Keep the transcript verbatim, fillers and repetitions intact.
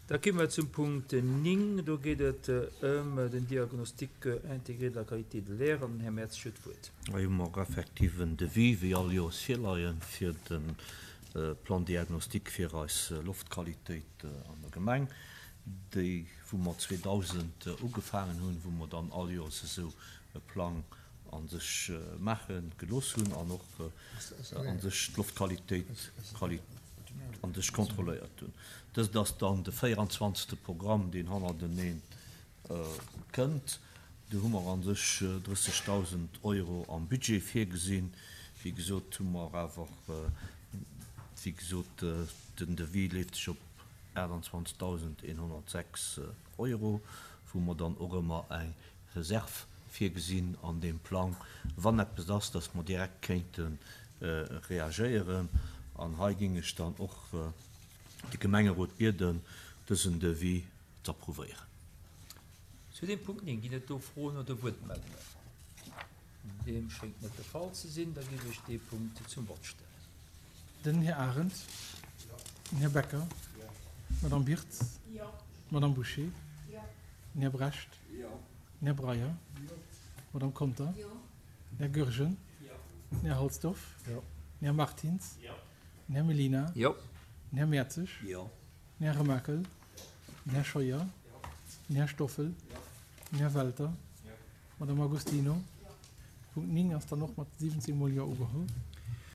Da komme mer zum Punkt néng. Do geet et ëm den Diagnostic intégré de la qualité de l'air an den Här Mertz huet d'Wuert. Hei hu mer effektiv en Devis, wéi all Joers virleien, fir de Plan diagnostique fir eis Loftqualitéit an der Gemeng, déi wou mer zweedausend ugefaangen hunn, wou mer dann all Joers esou e Plang a sech maache gelooss hunn an och a sech d'Loftqualitéit a sech kontrolléiert hunn. Dëst ass dann de véieranzwanzegste Programm, deen hannerteneen kënnt. Do hu mer a sech drëssegdausend Euro am Budget virgesinn. Wéi gesot hu mer awer, wéi gesot, den Devis leeft sech op aachtanzwanzegdausendeenhonnertsechs Euro, wou mer dann och ëmmer eng Reserv virgesinn an deem Plang, wann eppes ass, dass mer direkt kéinte reagéieren. An hei géing ech dann och de Gemengerot bieden, dësen Devis z'approuvéieren. Zu deem Punkt néng, ginn et do Froen oder Wuertmeldungen? Deem schéngt net de Fall ze sinn. Da géif ech dee Punkt zum Vott stellen. Den Här Arendt. Den Här Becker. D'Madame Birtz. D'Madame Bouché. Den Här Brecht. Den Här Breyer. D'Madame Conter. Den Här Goergen. Den Här Halsdorf. Den Här Martins. Den Här Mellina. Den Här Mertzig. Den Här Remakel. Den Här Scheuer. Den Här Stoffel. Den Här Welter. D'Madame Agostino. Punkt néng ass dann och mat siwwenzéng mol Jo ugeholl.